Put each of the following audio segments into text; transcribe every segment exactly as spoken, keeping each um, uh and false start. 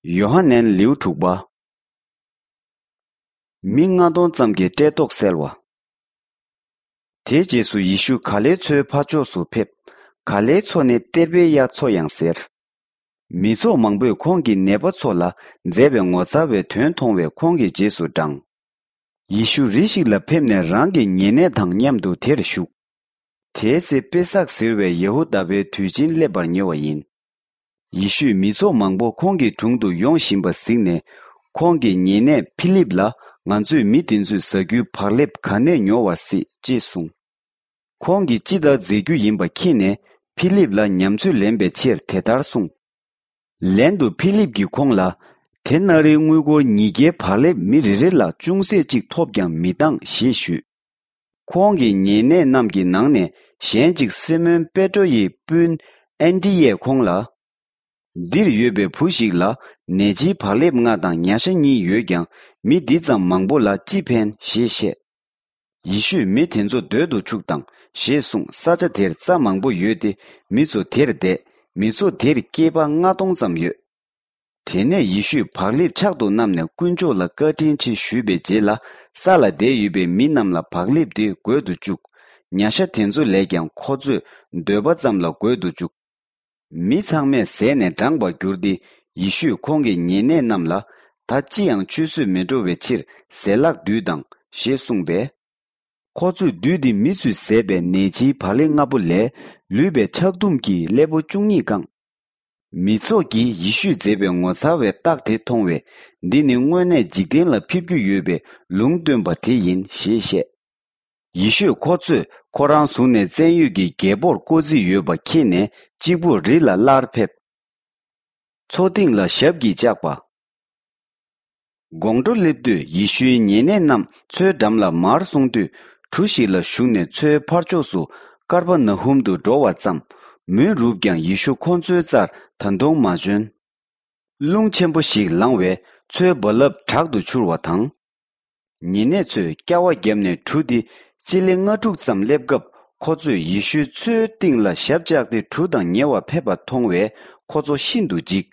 ཡོ་ཧ་ནན་ལེའུ་དྲུག་པ། མི་ལྔ་སྟོང་ཙམ་གྱི་བཀྲེས་ལྟོགས་སེལ་བ། དེའི་རྗེས་སུ་ཡེ་ཤུ་ག་ལེའི་མཚོའི་ཕར་ཕྱོགས་སུ་ཕེབས། ག་ལེའི་མཚོ་ནི་གཏེར་པའི་གཡའ་མཚོ་ཡང་ཟེར། མི་ཚོགས་མང་པོས་ཁོང་གིས་ནད་པ་ཚོ་ལ་མཛད་པའི་ངོ་མཚར་བའི་དོན་མཐོང་བས་ཁོང་གི་རྗེས་སུ་འབྲངས། ཡེ་ཤུ་རི་ཞིག་ལ་ཕེབས་ནས་རང་གི་ཉེ་གནས་དང་མཉམ་དུ་དེར་བཞུགས། དེའི་ཚེ་པེ་སག་ཟེར་བའི་ཡ་ཧུ་དཱ་པའི་དུས་ཆེན་སླེབས་པར་ཉེ་བ་ཡིན། ཡེ་ཤུས་མི་ཚོགས་མང་པོ་ཁོང་གི་དྲུང་དུ་ཡོང་བཞིན་པ་གཟིགས་ནས། ཁོང་གི་ཉེ་གནས་ཕི་ལིབ་ལ། ང་ཚོས་མི་དེ་ཚོས་ཟ་རྒྱུའི་བག་ལེབ་ག་ནས་ཉོ་བར་སྲིད་ཅེས་གསུངས། ཁོང་གིས་ཅི་ལྟར་མཛད་རྒྱུ་ཡིན་པ་མཁྱེན་ནས། ཕི་ལིབ་ལ་ཉམས་ཚོད་ལེན་པའི་ཕྱིར་དེ་ལྟར་གསུངས། ལན་དུ་ཕི་ལིབ་ཀྱིས་ཁོང་ལ། དེ་ན་རིའི་དངུལ་སྒོར་ཉིས་བརྒྱའི་བག་ལེབ་མི་རེ་རེ་ལ་ཅུང་ཟད་ཅིག་ཐོབ་ཀྱང་མི་འདང་ཞེས་ཞུས། ཁོང་གི་ཉེ་གནས་རྣམས་ཀྱི་ནང་ནས་གཞན་གཅིག་སི་མོན་པེ་ཏྲོ་ཡི་སྤུན་ཨན་ཏི་ཡས་ཁོང་ལ། འདིར་ཡོད་པའི་བུ་ཞིག་ལ་ནས་ཕྱིའི་བག་ལེབ་ལྔ་དང་ཉ་ཤ་གཉིས་ཡོད་ཀྱང་། མི་འདི་ཙམ་མང་པོ་ལ་ཅི་ཕན་ཞེས་བཤད། ཡེ་ཤུས་མི་དེ་ཚོ་སྡོད་དུ་ཆུག་དང་ཞེས་གསུངས། ས་ཆ་དེར་རྩྭ་མང་པོ་ཡོད་དེ། མི་ཚོ་དེར་བསྡད། མི་ཚོ་དེར་སྐྱེས་པ་ལྔ་སྟོང་ཙམ་ཡོད། དེ་ནས་ཡེ་ཤུས་བག་ལེབ་ཕྱག་ཏུ་བསྣམས་ནས་དཀོན་མཆོག་ལ་བཀའ་དྲིན་ཆེ་ཞུས་པའི་རྗེས་ལ། ས་ལ་བསྡད་ཡོད་པའི་མི་རྣམས་ལ་བག་ལེབ་དེ་བགོས་ཏུ་བཅུག། ཉ་ཤ་དེ་ཚོ་ལས་ཀྱང་ཁོ་ཚོས་འདོད་པ་ཙམ་ལ་བགོས་ཏུ་བཅུག། མི་ཚང་མས་ཟས་ནས་འགྲངས་པར་གྱུར་ཏེ། ཡེ་ཤུས་ཁོང་གི་ཉེ་གནས་རྣམས་ལ། ད་ཅི་ཡང་ཆུད་ཟོས་མི་འགྲོ་བའི་ཕྱིར་ཟས་ལྷག་བསྡུས་དང་ཞེས་གསུངས་པས། ཁོ་ཚོས་བསྡུས་ཏེ་མི་ཚོས་བཟས་པའི་ནས་ཕྱིའི་བག་ལེབ་ལྔ་པོ་ལས། ལུས་པའི་ཆག་དུམ་གྱིས་སླེ་པོ་བཅུ་གཉིས་བཀང་། མི་ཚོགས་ཀྱིས་ཡེ་ཤུས་མཛད་པའི་ངོ་མཚར་བའི་རྟགས་དེ་མཐོང་བས། འདི་ནི་དངོས་གནས་འཇིག་རྟེན་ལ་ཕེབས་རྒྱུ་ཡོད་པའི་ལུང་སྟོན་པ་དེ་ཡིན་ཞེས་བཤད། ཡེ་ཤུས་ཁོ་ཚོས་ཁོ་རང་བཟུང་ནས་བཙན་གཡོག་གི་རྒྱལ་པོར་བསྐོ་རྩིས་ཡོད་པ་མཁྱེན་ནས། གཅིག་པུར་རི་ལ་སླར་ཕེབས། མཚོ་སྟེང་ལ་ཞབས་ཀྱིས་བཅགས་པ། དགོང་དྲོ་སླེབས་དུས་ཡེ་ཤུའི་ཉེ་གནས་རྣམས་མཚོའི་འགྲམ་ལ་མར་སོང་དུས། གྲུ་ཞིག་ལ་ཞུགས་ནས་མཚོའི་ཕར་ཕྱོགས་སུ་ཀར་པ་ན་ཧུམ་དུ་འགྲོ་བར་བརྩམས། མུན་རུབ་ཀྱང་ཡེ་ཤུ་ཁོང་ཚོའི་རྩར་ད་དུང་མ་བྱོན། རླུང་ཆེན་པོ་ཞིག་ལངས་བས་མཚོའི་རྦ་རླབས་དྲག་ཏུ་འཕྱུར་བ་དང་། ཉེ་གནས་ཚོས་སྐྱ་བ་བརྒྱབ་ནས་གྲུ་དེ་སྤྱི་ལེ་ལྔ་དྲུག་ཙམ་སླེབས་སྐབས། ཁོ་ཚོས་ཡེ་ཤུ་མཚོའི་གཏིང་ལ་ཞབས་བཅགས་ཏེ་གྲུ་དང་ཉེ་བར་ཕེབས་པ་མཐོང་བས་ཁོ་ཚོ་ཤིན་ཏུ་འཇིགས།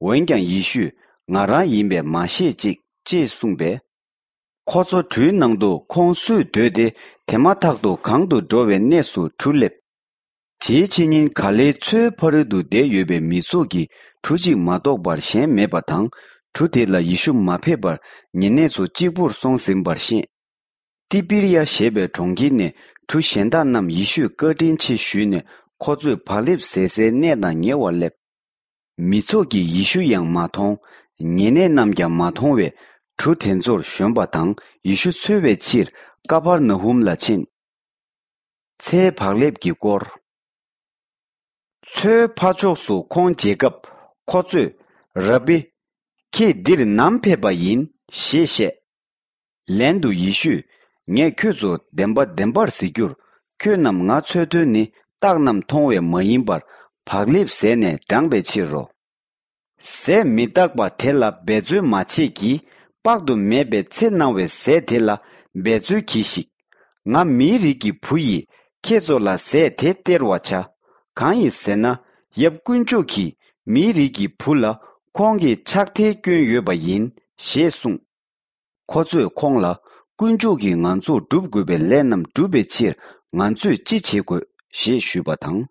འོན་ཀྱང་ཡེ་ཤུས། ང་རང་ཡིན་པས་མ་ཤེས་ཅིག་ཅེས་གསུངས་པས། ཁོ་ཚོ་གྲུའི་ནང་དུ་ཁོང་སུས་སྡོད་དེ། དེ་མ་ཐག་ཏུ་གང་དུ་འགྲོ་བའི་གནས་སུ་གྲུ་སླེབས། དེའི་ཕྱི་ཉིན་ག་ལེའི་མཚོའི་ཕ་རོལ་ཏུ་བསྡད་ཡོད་པའི་མི་ཚོགས་ཀྱིས་གྲུ་གཅིག་མ་གཏོགས་པར་གཞན་མེད་པ་དང་། གྲུ་དེ་ལ་ཡེ་ཤུ་མ་ཕེབས་པར་ཉེ་གནས་ཚོ་གཅིག་པུར་སོང་ཟིན་པར་ཤེས། ཏི་པིར་ཡ་ཞེས་པའི་གྲོང་ཁྱེར་ནས་གྲུ་གཞན་དག་རྣམས་ཡེ་ཤུས་བཀའ་དྲིན་ཆེ་ཞུས་ནས། ཁོ་ཚོས་བག་ལེབ་བཟས་སའི་གནས་དང་ཉེ་བར་སླེབས། མི་ཚོགས་ཀྱིས་ཡེ་ཤུ་ཡང་མ་མཐོང་། ཉེ་གནས་རྣམས་ཀྱང་མ་མཐོང་བས། གྲུ་དེ་ཚོར་ཞོན་པ་དང་ཡེ་ཤུ་འཚོལ་བའི་ཕྱིར་ཀ་ཕར་ན་ཧུམ་ལ་ཕྱིན། ཚེའི་བག་ལེབ་ཀྱི་སྐོར། མཚོའི་ཕར་ཕྱོགས་སུ་ཁོང་མཇལ་སྐབས། ཁོ་ཚོས། རབ་བི། ཁྱེད་འདིར་ནམ་ཕེབས་པ་ཡིན་ཞེས་བཤད། ལན་དུ་ཡེ་ཤུས། ངས་ཁྱོད་ཚོ་བདེན་པ་བདེན་པར་ཟེར་རྒྱུར། ཁྱོད་རྣམས་ང་འཚོལ་དོན་ནི་རྟགས་རྣམས་མཐོང་བས་མ་ཡིན་པར། བག་ལེབ་བཟས་ནས་འགྲངས་པའི་ཕྱིར་རོ། ཟས་མི་རྟག་པ་དེ་ལ་འབད་རྩོལ་མ་བྱེད་ཀྱིས། དཔག་ཏུ་མེད་པའི་ཚེ་གནང་བའི་ཟས་དེ་ལ་འབད་རྩོལ་གྱིས་ཤིག་ང་མིའི་རིགས་ཀྱི་བུ་ཡིས་ཁྱེད་ཚོ་ལ་ཟས་དེ་སྟེར་བར་བྱ། གང་ཡིན་ཟེར་ན། ཡབ་དཀོན་མཆོག་གིས་མིའི་རིགས་ཀྱི་བུ་ལ་ཁོང་གི་ཕྱག་ཐལ་བསྐྱོན་ཡོད་པ་ཡིན་ཞེས་གསུངས། ཁོ་ཚོས་ཁོང་ལ། དཀོན་མཆོག་གིས་ང་ཚོར་སྒྲུབ་དགོས་པའི་ལས་རྣམས་བསྒྲུབ་པའི་ཕྱིར་ང་ཚོས་ཅི་བྱེད་དགོས་ཞེས་ཞུས་པ་དང་།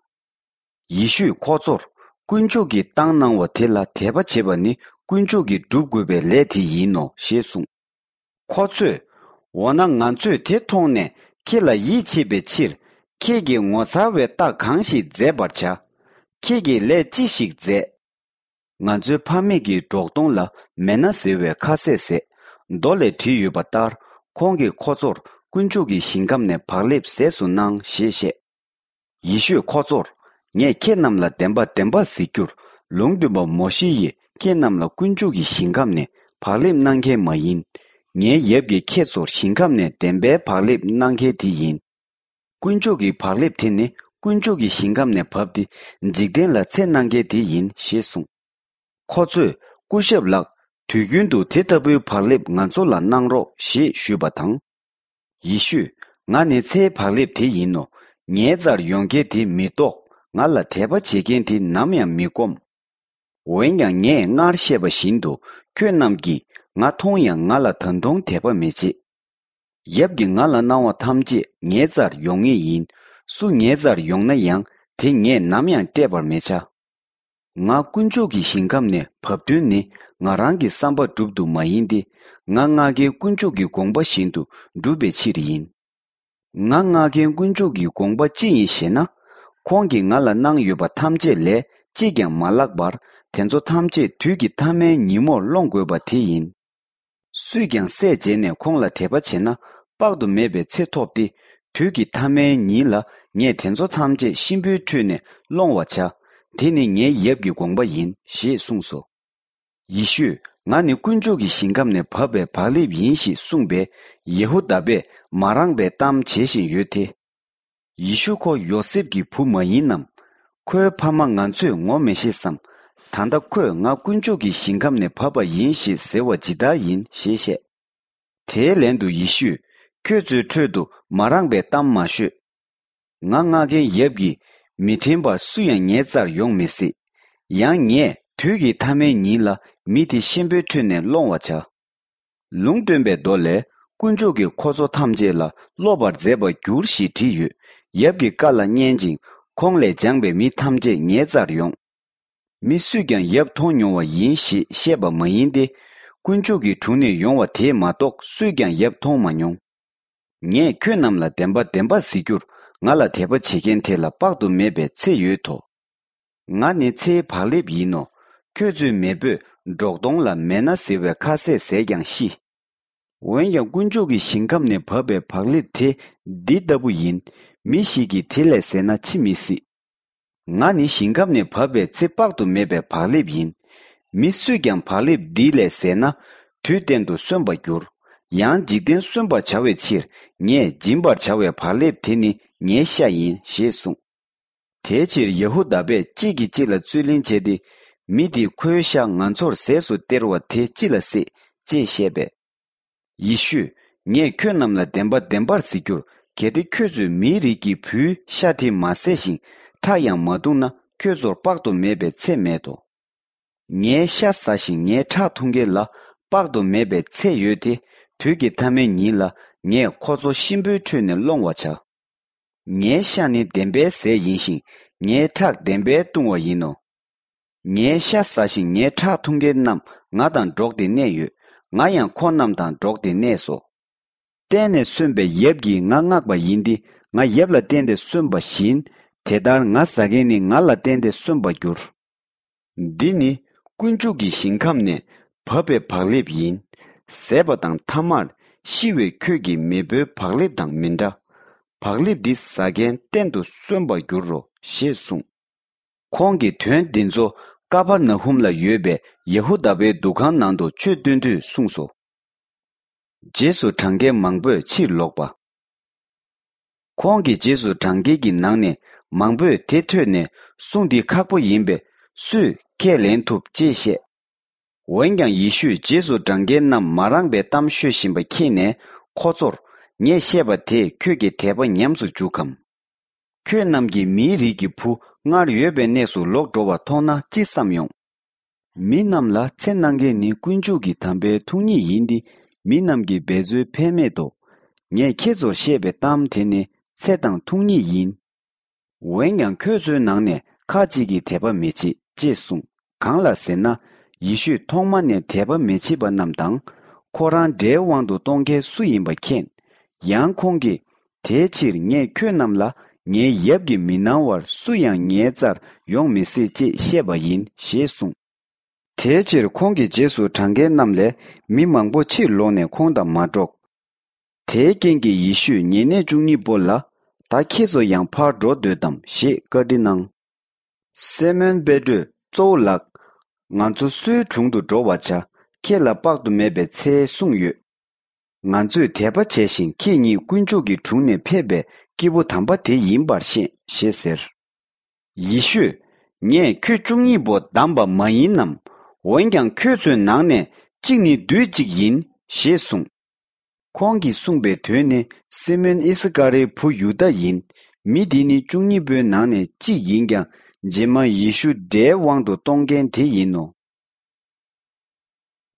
ཡེ་ཤུས་ཁོ་ཚོར། དཀོན་མཆོག་གིས་བཏང་གནང་བ་དེ་ལ་དད་པ་བྱེད་པ་ནི་དཀོན་མཆོག་གིས་སྒྲུབ་དགོས་པའི་ལས་དེ་ཡིན་ནོ་ཞེས་གསུངས། ཁོ་ཚོས། འོ་ན་ང་ཚོས་དེ་མཐོང་ནས་ཁྱེད་ལ་ཡིད་ཆེས་པའི་ཕྱིར། ཁྱེད་ཀྱིས་ངོ་མཚར་བའི་རྟགས་གང་ཞིག་མཛད་པར་བྱ། ཁྱེད་ཀྱིས་ལས་ཅི་ཞིག་མཛད། ང་ཚོའི་ཕ་མེས་ཀྱི་འབྲོག་སྟོང་ལ་མན་ན་ཟེར་བའི་ཁ་ཟས་བཟས། མདོ་ལས་བྲིས་ཡོད་པ་ལྟར། ཁོང་གིས་ཁོ་ཚོར་དཀོན་མཆོག་གི་ཞིང་ཁམས་ནས་བག་ལེབ་ཟས་སུ་གནང་ཞེས་བཤད། ཡེ་ཤུས་ཁོ་ཚོར། ངས་ཁྱེད་རྣམས་ལ་བདེན་པ་བདེན་པ་ཟེར་རྒྱུར། ལུང་སྟོན་པ་མོ་ཤེ་ཡིས་ཁྱེད་རྣམས་ལ་དཀོན་མཆོག་གི་ཞིང་ཁམས་ནས་བག་ལེབ་གནང་མཁན་མ་ཡིན། ངའི་ཡབ་ཀྱིས་ཁྱེད་ཚོར་ཞིང་ཁམས་ནས་བདེན་པའི་བག་ལེབ་གནང་མཁན་དེ་ཡིན། དཀོན་མཆོག་གི་བག་ལེབ་དེ་ནི་དཀོན་མཆོག་གི་ཞིང་ཁམས་ནས་བབས་ཏེ་འཇིག་རྟེན་ལ་ཚེ་གནང་མཁན་དེ་ཡིན་ཞེས་གསུངས། ཁོ་ཚོས། སྐུ་ཞབས་ལགས། དུས་རྒྱུན་དུ་དེ་ལྟ་བུའི་བག་ལེབ་ང་ཚོ་ལ་གནང་རོགས་ཞེས་ཞུས་པ་དང་། ཡེ་ཤུས། ང་ནི་ཚེའི་བག་ལེབ་དེ་ཡིན་ནོ། ངའི་རྩར་ཡོང་མཁན་དེ་མི་ལྡོག་ང་ལ་དད་པ་བྱེད་མཁན་དེ་ནམ་ཡང་མི་སྐོམ། འོན་ཀྱང་ངས་སྔར་བཤད་པ་བཞིན་དུ་ཁྱོད་རྣམས་ཀྱིས་ང་མཐོང་ཡང་ང་ལ་ད་དུང་དད་པ་མི་བྱེད། ཡབ་ཀྱིས་ང་ལ་གནང་བ་ཐམས་ཅད་ངའི་རྩར་ཡོང་ངེས་ཡིན། སུ་ངའི་རྩར་ཡོང་ན་ཡང་དེ་ངས་ནམ་ཡང་བསྐྲད་པར་མི་བྱ། ང་དཀོན་མཆོག་གི་ཞིང་ཁམས་ནས་བབས་དོན་ནི་ང་རང་གི་བསམ་པ་སྒྲུབ་ཏུ་མ་ཡིན་ཏེ། ང་མངགས་མཁན་དཀོན་མཆོག་གི་དགོངས་པ་བཞིན་དུ་སྒྲུབ་པའི་ཕྱིར་ཡིན། ང་མངགས་མཁན་དཀོན་མཆོག་གི་དགོངས་པ་ཅི་ཡིན་ཞེ་ན། ཁོང་གིས་ང་ལ་གནང་ཡོད་པ་ཐམས་ཅད་ལས་གཅིག་ཀྱང་མ་བརླག་པར་དེ་ཚོ་ཐམས་ཅད་དུས་ཀྱི་མཐའ་མའི་ཉིན་མོར་སློང་དགོས་པ་དེ་ཡིན། སུས་ཀྱང་སྲས་མཇལ་ནས་ཁོང་ལ་དད་པ་བྱས་ན་དཔག་ཏུ་མེད་པའི་ཚེ་ཐོབ་སྟེ། དུས་ཀྱི་མཐའ་མའི་ཉིན་ལ་ངས་དེ་ཚོ་ཐམས་ཅད་གཤིན་པོའི་ཁྲོད་ནས་སློང་བར་བྱ། དེ་ནི་ངའི་ཡབ་ཀྱི་དགོངས་པ་ཡིན་ཞེས་གསུངས་སོ། ཡེ་ཤུས། ང་ནི་དཀོན་མཆོག་གི་ཞིང་ཁམས་ནས་བབས་པའི་བག་ལེབ་ཡིན་ཞེས་གསུངས་པས། ཡེ་ཧུ་དཱ་པས་མ་རངས་པའི་གཏམ་བྱེད་བཞིན་ཡོད་དེ། ཡེ་ཤུ་ཁོ་ཡོ་སེབ་ཀྱི་བུ་མ་ཡིན་ནམ། ཁོའི་ཕ་མ་ང་ཚོས་ངོ་མི་ཤེས་སམ། ད་ལྟ་ཁོས་ང་དཀོན་མཆོག་གི་ཞིང་ཁམས་ནས་བབས་པ་ཡིན་ཞེས་ཟེར་བ་ཇི་ལྟར་ཡིན་ཞེས་བཤད། དེའི་ལན་དུ་ཡེ་ཤུས། ཁྱོད་ཚོའི་ཁྲོད་དུ་མ་རངས་པའི་གཏམ་མ་ཤོད། ང་མངགས་མཁན་ཡབ་ཀྱིས་མི་དྲན་པར་སུ་ཡང་ངའི་རྩར་ཡོང་མི་སྲིད། ཡང་ངས་དུས་ཀྱི་མཐའ་མའི་ཉིན་ལ་མི་དེ་གཤིན་པོའི་ཁྲོད་ནས་སློང་བར་བྱ། ལུང་སྟོན་པའི་མདོ་ལས། དཀོན་མཆོག་གིས་ཁོ་ཚོ་ཐམས་ཅད་ལ་སློབ་པར་མཛད་པར་འགྱུར་ཞེས་བྲིས་ཡོད། ཡབ་ཀྱི་བཀའ་ལ་མཉན་ཅིང་ཁོང་ལས་སྦྱངས་པའི་མི་ཐམས་ཅད་ངའི་རྩར་ཡོང་། མི་སུས་ཀྱང་ཡབ་མཐོང་མྱོང་བ་ཡིན་ཞེས་བཤད་པ་མ་ཡིན་ཏེ། དཀོན་མཆོག་གི་དྲུང་ནས་ཡོང་བ་དེས་མ་གཏོགས་སུས་ཀྱང་ཡབ་མཐོང་མ་མྱོང་། ངས་ཁྱོད་རྣམས་ལ་བདེན་པ་བདེན་པར་ཟེར་རྒྱུར། ང་ལ་དད་པ་བྱེད་མཁན་དེ་ལ་དཔག་ཏུ་མེད་པའི་ཚེ་ཡོད་དོ། ང་ནི་ཚེའི་བག་ལེབ་ཡིན་ནོ། ཁྱོད་ཚོའི་མེས་པོས་འབྲོག་སྟོང་ལ་མན་ན་ཟེར་བའི་ཁ་ཟས་ཟས་ཀྱང་ཤི། འོན་ཀྱང་དཀོན་མཆོག་གི་ཞིང་ཁམས་ནས་བབས་པའི་བག་ལེབ་དེ་འདི་ལྟ་བུ་ཡིན། མི་ཞིག་གིས་དེ་ལས་ཟས་ན་འཆི་མི་སྲིད། ང་ནི་ཞིང་ཁམས་ནས་བབས་པའི་ཚེ་དཔག་ཏུ་མེད་པའི་བག་ལེབ་ཡིན། མི་སུས་ཀྱང་བག་ལེབ་འདི་ལས་ཟས་ན། དུས་གཏན་དུ་གསོན་པར་འགྱུར། ཡང་འཇིག་རྟེན་གསོན་པར་བྱ་བའི་ཕྱིར། ངས་སྦྱིན་པར་བྱ་བའི་བག་ལེབ་དེ་ནི་ངའི་ཤ་ཡིན་ཞེས་གསུངས། དེའི་ཕྱིར་ཡ་ཧུ་དཱ་པས་གཅིག་གིས་གཅིག་ལ་རྩོད་གླེང་བྱས་ཏེ། མི་དེས་ཁོའི་ཤ་ང་ཚོར་ཟས་སུ་སྟེར་བ་དེ་ཅི་ལ་སྲིད་ཅེས་བཤད་པས། ཡེ་ཤུས། ངས་ཁྱོད་རྣམས་ལ་བདེན་པ་བདེན་པར་ཟེར་རྒྱུར། གལ་ཏེ་ཁྱོད་ཚོས་མིའི་རིགས་ཀྱི་བུའི་ཤ་དེ་མ་ཟས་ཤིང་ཁྲག་ཡང་མ་འཐུང་ན། ཁྱོད་ཚོར་དཔག་ཏུ་མེད་པའི་ཚེ་མེད་དོ། ངའི་ཤ་ཟ་ཞིང་ངའི་ཁྲག་འཐུང་མཁན་ལ་དཔག་ཏུ་མེད་པའི་ཚེ་ཡོད་དེ། དུས་ཀྱི་མཐའ་མའི་ཉིན་ལ་ངས་ཁོ་ཚོ་གཤིན་པོའི་ཁྲོད་ནས་སློང་བར་བྱ། ངའི་ཤ་ནི་བདེན་པའི་ཟས་ཡིན་ཞིང་། ངའི་ཁྲག་བདེན་པའི་བཏུང་བ་ཡིན་ནོ། ངའི་ཤ་ཟ་ཞིང་ངའི་ཁྲག་འཐུང་མཁན་རྣམས་ང་དང་འགྲོགས་ཏེ་གནས་ཡོད། ང་ཡང་ཁོ་རྣམས་དང་འགྲོགས་ཏེ་གནས་སོ། གཏན་ནས་གསོན་པའི་ཡབ་ཀྱིས་ང་མངགས་པ་ཡིན་ཏེ། ང་ཡབ་ལ་བརྟེན་ཏེ་གསོན་པ་བཞིན། དེ་ལྟར་ང་ཟ་མཁན་ནི་ང་ལ་བརྟེན་ཏེ་གསོན་པར་འགྱུར། འདི་ནི་དཀོན་མཆོག་གི་ཞིང་ཁམས་ནས་བབས་པའི་བག་ལེབ་ཡིན། ཟས་པ་དང་ཐ་མར་ཤི་བའི་ཁྱོད་ཀྱི་མེས་པོའི་བག་ལེབ་དང་མི་འདྲ། བག་ལེབ་འདི་ཟ་མཁན་གཏན་དུ་གསོན་པར་འགྱུར་རོ་ཞེས་གསུངས། ཁོང་གིས་དོན་འདི་ཚོ་ཀ་པར་ན་ཧུམ་ལ་ཡོད་པའི་ཡ་ཧུ་དཱ་པའི་འདུ་ཁང་ནང་དུ་ཆོས་སྟོན་དུས་གསུངས་སོ། རྗེས་སུ་འབྲང་མཁན་མང་པོས་ཕྱིར་ལོག་པ། ཁོང་གི་རྗེས་སུ་འབྲང་མཁན་གྱི་ནང་ནས་མང་པོས་དེ་ཐོས་ནས། གསུང་འདི་ཁག་པོ་ཡིན་པས་སུས་ཁས་ལེན་ཐུབ་ཅེས་བཤད། འོན་ཀྱང་ཡེ་ཤུས་རྗེས་སུ་འབྲང་མཁན་རྣམས་མ་རངས་པའི་གཏམ་ཤོད་བཞིན་པ་མཁྱེན་ནས། ཁོ་ཚོར། ངས་བཤད་པ་དེས་ཁྱོད་ཀྱི་དད་པ་ཉམས་སུ་འཇུག་གམ། ཁྱོད་རྣམས་ཀྱིས་མིའི་རིགས་ཀྱི་བུ་སྔར་ཡོད་པའི་གནས་སུ་ལོག་འགྲོ་བར་མཐོང་ན་ཅི་བསམ་ཡོང་། མི་རྣམས་ལ་ཚེ་གནང་མཁན་ནི་དཀོན་མཆོག་གི་དམ་པའི་ཐུགས་ཉིད་ཡིན་ཏེ། མི་རྣམས་ཀྱིས་འབད་རྩོལ་ཕན་མེད་དོ། ངས་ཁྱེད་ཚོར་བཤད་པའི་གཏམ་དེ་ནི་ཚེ་དང་ཐུགས་ཉིད་ཡིན། འོན་ཀྱང་ཁྱོད་ཚོའི་ནང་ནས་ཁ་ཅིག་གིས་དད་པ་མི་བྱེད་ཅེས་གསུངས། གང་ལ་ཟེར་ན། ཡེ་ཤུས་ཐོག་མ་ནས་དད་པ་མི་བྱེད་པ་རྣམས་དང་། ཁོ་རང་དགྲའི་དབང་དུ་གཏོང་མཁན་སུ་ཡིན་པ་མཁྱེན། ཡང་ཁོང་གིས། དེའི་ཕྱིར་ངས་ཁྱོད་རྣམས་ལ་ངའི་ཡབ་ཀྱིས་མི་གནང་བར་སུ་ཡང་ངའི་རྩར་ཡོང་མི་སྲིད་ཅེས་བཤད་པ་ཡིན་ཞེས་གསུངས། དེའི་ཕྱིར་ཁོང་གི་རྗེས་སུ་འབྲང་མཁན་རྣམས་ལས་མི་མང་པོ་ཕྱིར་ལོག་ནས་ཁོང་དང་མ་འགྲོགས། དེའི་རྐྱེན་གྱིས་ཡེ་ཤུས་ཉེ་གནས་བཅུ་གཉིས་པོ་ལ། ད་ཁྱེད་ཚོ་ཡང་ཕར་འགྲོ་འདོད་དམ་ཞེས་བཀའ་འདྲི་གནང་། སི་མོན་པེ་ཏྲོས། གཙོ་བོ་ལགས། ང་ཚོ་སུའི་དྲུང་དུ་འགྲོ་བར་བྱ། ཁྱེད་ལ་དཔག་ཏུ་མེད་པའི་ཚེ་གསུངས་ཡོད། ང་ཚོས་དད་པ་བྱས་ཤིང་ཁྱེད་ཉིད་དཀོན་མཆོག་གི་དྲུང་ནས་ཕེབས་པའི་སྐྱེས་བུ་དམ་པ་དེ་ཡིན་པར་ཤེས་ཞེས་ཟེར། ཡེ་ཤུས། ངས་ཁྱོད་བཅུ་གཉིས་པོ་བདམས་པ་མ་ཡིན་ནམ། འོན་ཀྱང་ཁྱོད་ཚོའི་ནང་ནས་གཅིག་ནི་བདུད་ཅིག་ཡིན་ཞེས་གསུངས། ཁོང་གིས་གསུངས་པའི་དོན་ནི་སི་མོན་ཨི་སི་ཀ་རིའི་བུ་ཡུ་དཱ་ཡིན། མི་འདི་ནི་བཅུ་གཉིས་པོའི་ནང་ནས་གཅིག་ཡིན་ཀྱང་ རྗེས་མ་ཡེ་ཤུ་དགྲའི་དབང་དུ་གཏོང་མཁན་དེ་ཡིན་ནོ།